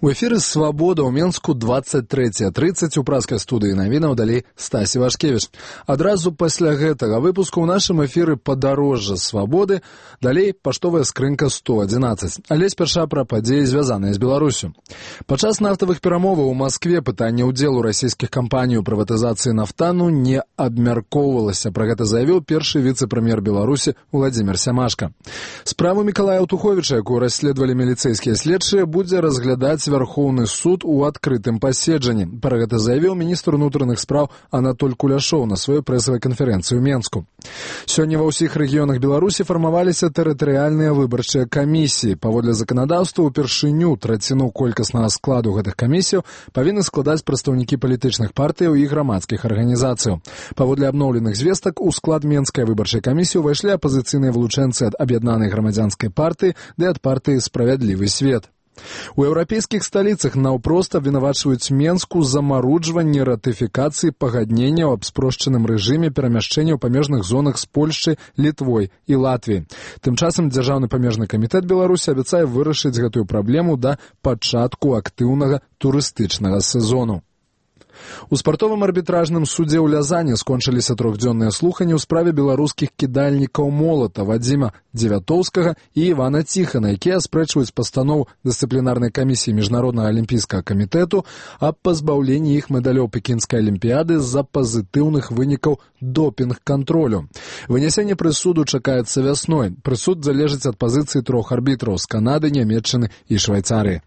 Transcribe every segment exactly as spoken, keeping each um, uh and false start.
У эфіры «Свабода» ў Менску двадцать третья тридцать у праскай студыі навінаў далей Стасі Вашкевіч. Адразу пасля гэтага выпуску ў нашым эфіры «Падарожжа свабоды», далей паштовая скрынка сто одиннадцать. Але спярша пра падзеі, звязаныя з Беларусю. Падчас нафтавых перамоваў у Маскве пытанне ўдзелу расійскіх кампаній у прыватызацыі нафтану не абмяркоўвалася. Пра гэта заявіў першы віцэ-прэм'ер Беларусі Уладзімір Сямашка. Справу Мікалая Аўтуховіча, якую расследавалі міліцэйскія следчыя, будзе разглядаць Верховны суд у адкрытым паседжанні. Пра гэта заявіў міністр унутраных спраў Анатоль Куляшоў на сваёй прэсавай канферэнцыі ў Менску. Сёння ва ўсіх рэгіёнах Беларусі фармаваліся тэрытарыяльныя выбарчыя камісіі. Паводле заканадаўства, упершыню траціну колькаснага складу гэтых камісіяў павінны складаць прадстаўнікі палітычных партыяў і грамадскіх арганізацыяў. Паводле абноўленых звестак, у склад Менскай выбарчай камісіі ўвайшлі апазіцыйныя вылучэнцы ад аб'яднанай грамадзянскай партыі ды ад партыі «Справядлівы свет». У еўрапейскіх сталіцах наўпрост абвінавачваюць Менску за маруджванне ратыфікацыі пагадненняў аб спрошчаным рэжыме перамяшчэння ў памежных зонах з Польшчай, Літвой і Латвіяй. Тым часам дзяржаўны памежны камітэт Беларусі абяцае вырашыць гэтую праблему да пачатку актыўнага турыстычнага сезону. У спартовым арбітражным судзе ў Лязані скончыліся трохдзённыя слуханні ў справе беларускіх кідальнікаў молата Вадзіма Дзевятоўскага і Івана Ціхана, якія аспрэчваюць пастанову дысцыплінарнай камісіі Міжнароднага алімпійскага камітэту аб пазбаўленні іх медалёў Пекінскай алімпіяды з-за пазітыўных вынікаў допінг-кантролю. Вынясенне прысуду чакаецца вясной. Прысуд залежыць ад пазіцыі трох арбітраў з Канады, Нямецчыны і Швайцарыі.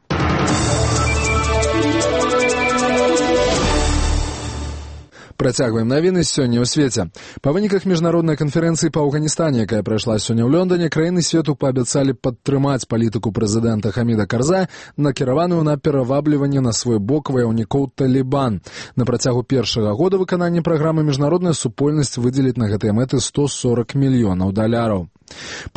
Працягваем навіны сёння ў свеце. Па выніках міжнароднай канферэнцыі па Афганістане, якая прайшла сёння ў Лондоне, краіны свету паабяцалі падтрымаць палітыку прэзідэнта Хаміда Карзая, накіраваную на перавабліванне на свой бок ваяўнікоў Талібан. На працягу першага года выканання праграмы міжнародная супольнасць выдзеліць на гэтыя мэты сто сорок мільёнаў даляраў.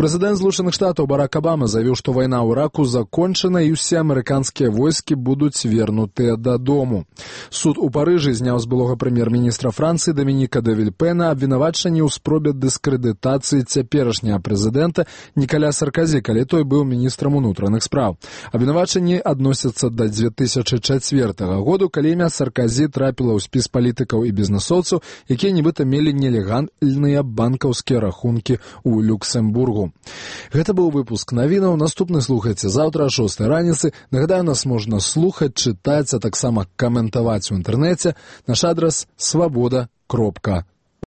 Прэзідэнт Злучаных Штатаў Барак Абама заявіў, што вайна ў Іраку закончана і ўсе амерыканскія войскі будуць вернутыя дадому. Суд у Парыжы зняў з былога прэм'ер-міністра Францыі Дамініка де Вільпэна абвінавачанні ў спробе дыскрэдытацыі цяперашняга прэзідэнта Нікаля Сарказі, калі той быў міністрам унутраных спраў. Абвінавачанні адносяцца да дзве тысячы чацвёртага году, калі імя Сарказі трапіла ў спіс палітыкаў і бізнэсоўцаў, якія нібыта мелі нелегальныя банкаўскія рахункі ў Люксембургу. Гэта быў выпуск навінаў. Наступны слухайце заўтра о шостай раніцы. Нагадаю, нас можна слухаць, чытаць, а таксама каментаваць у інтэрнэце. Наш адрас свабода кропка